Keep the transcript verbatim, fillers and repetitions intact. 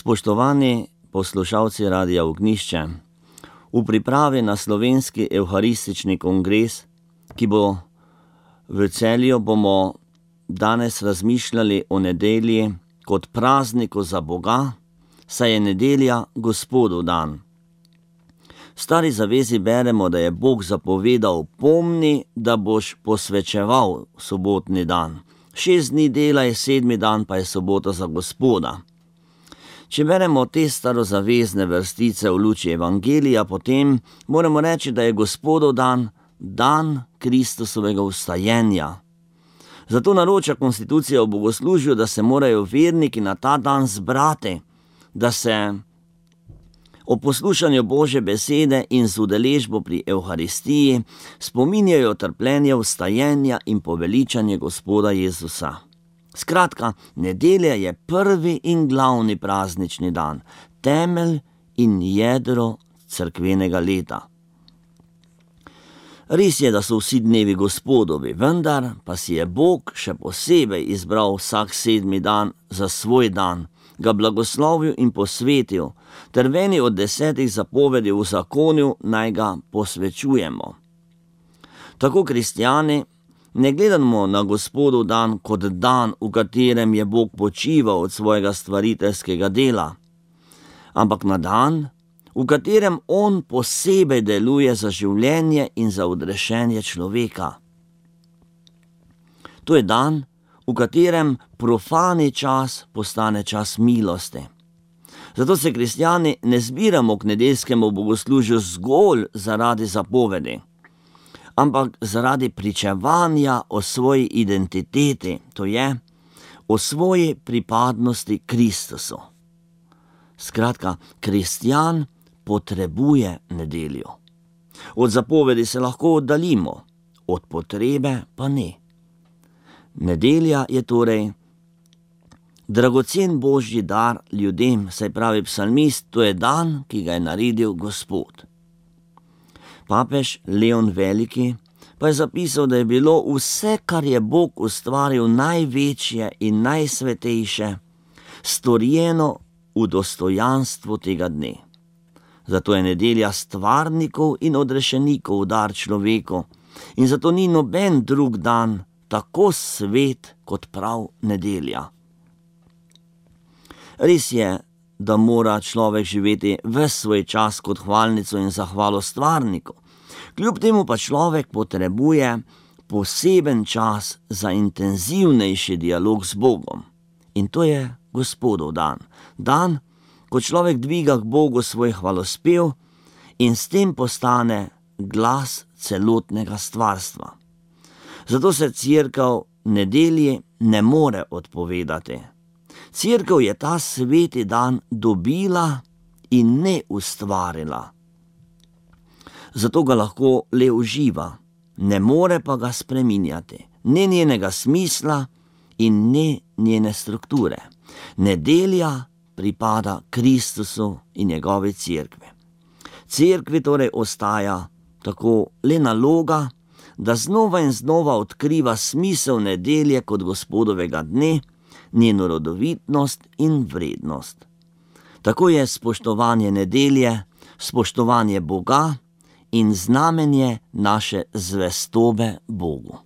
Spoštovani poslušalci Radia Ognjišče, v pripravi na slovenski evharistični kongres, ki bo v Celju, bomo danes razmišljali o nedelji kot prazniku za Boga, saj je nedelja Gospodov dan. V Stari zavezi beremo, da je Bog zapovedal: pomni, da boš posvečeval sobotni dan. Šest dni delaj, sedmi dan pa je sobota za Gospoda. Če beremo te starozavezne vrstice v luči Evangelija, potem moramo reči, da je Gospodov dan, dan Kristusovega vstajenja. Zato naroča konstitucija o bogoslužju, da se morajo verniki na ta dan zbrati, da se o poslušanju Božje besede in z udeležbo pri Evharistiji spominjajo trpljenja, vstajenja in poveličanje Gospoda Jezusa. Skratka, nedelja je prvi in glavni praznični dan, temelj in jedro cerkvenega leta. Res je, da so vsi dnevi Gospodovi, vendar pa si je Bog še posebej izbral vsak sedmi dan za svoj dan, ga blagoslovil in posvetil, ter v eni od desetih zapovedi v zakonju naj ga posvečujemo. Tako kristjani ne gledamo na Gospodov dan kot dan, v katerem je Bog počival od svojega stvariteljskega dela, ampak na dan, v katerem on posebej deluje za življenje in za odrešenje človeka. To je dan, v katerem profani čas postane čas milosti. Zato se kristjani ne zbiramo k nedeljskemu bogoslužju zgolj zaradi zapovedi, ampak zaradi pričevanja o svoji identiteti, to je, o svoji pripadnosti Kristusu. Skratka, kristjan potrebuje nedeljo. Od zapovedi se lahko oddaljimo, od potrebe pa ne. Nedelja je torej dragocen Božji dar ljudem, saj pravi psalmist, to je dan, ki ga je naredil Gospod. Papež Leon Veliki pa je zapisal, da je bilo vse, kar je Bog ustvaril največje in najsvetejše, storjeno v dostojanstvu tega dne. Zato je nedelja stvarnikov in odrešenikov dar človeku in zato ni noben drug dan tako svet kot prav nedelja. Res je, da mora človek živeti ves svoj čas kot hvalnico in zahvalo stvarniku. Kljub temu pa človek potrebuje poseben čas za intenzivnejši dialog z Bogom. In to je Gospodov dan. Dan, ko človek dviga k Bogu svoj hvalospev in s tem postane glas celotnega stvarstva. Zato se cerkev nedelji ne more odpovedati. Cerkev je ta sveti dan dobila in ne ustvarila. Zato ga lahko le uživa, ne more pa ga spreminjati, ne njenega smisla in ne njene strukture. Nedelja pripada Kristusu in njegovi cerkvi. Cerkvi torej ostaja tako le naloga, da znova in znova odkriva smisel nedelje kot Gospodovega dne, njeno rodovitnost in vrednost. Tako je spoštovanje nedelje, spoštovanje Boga in znamenje naše zvestobe Bogu.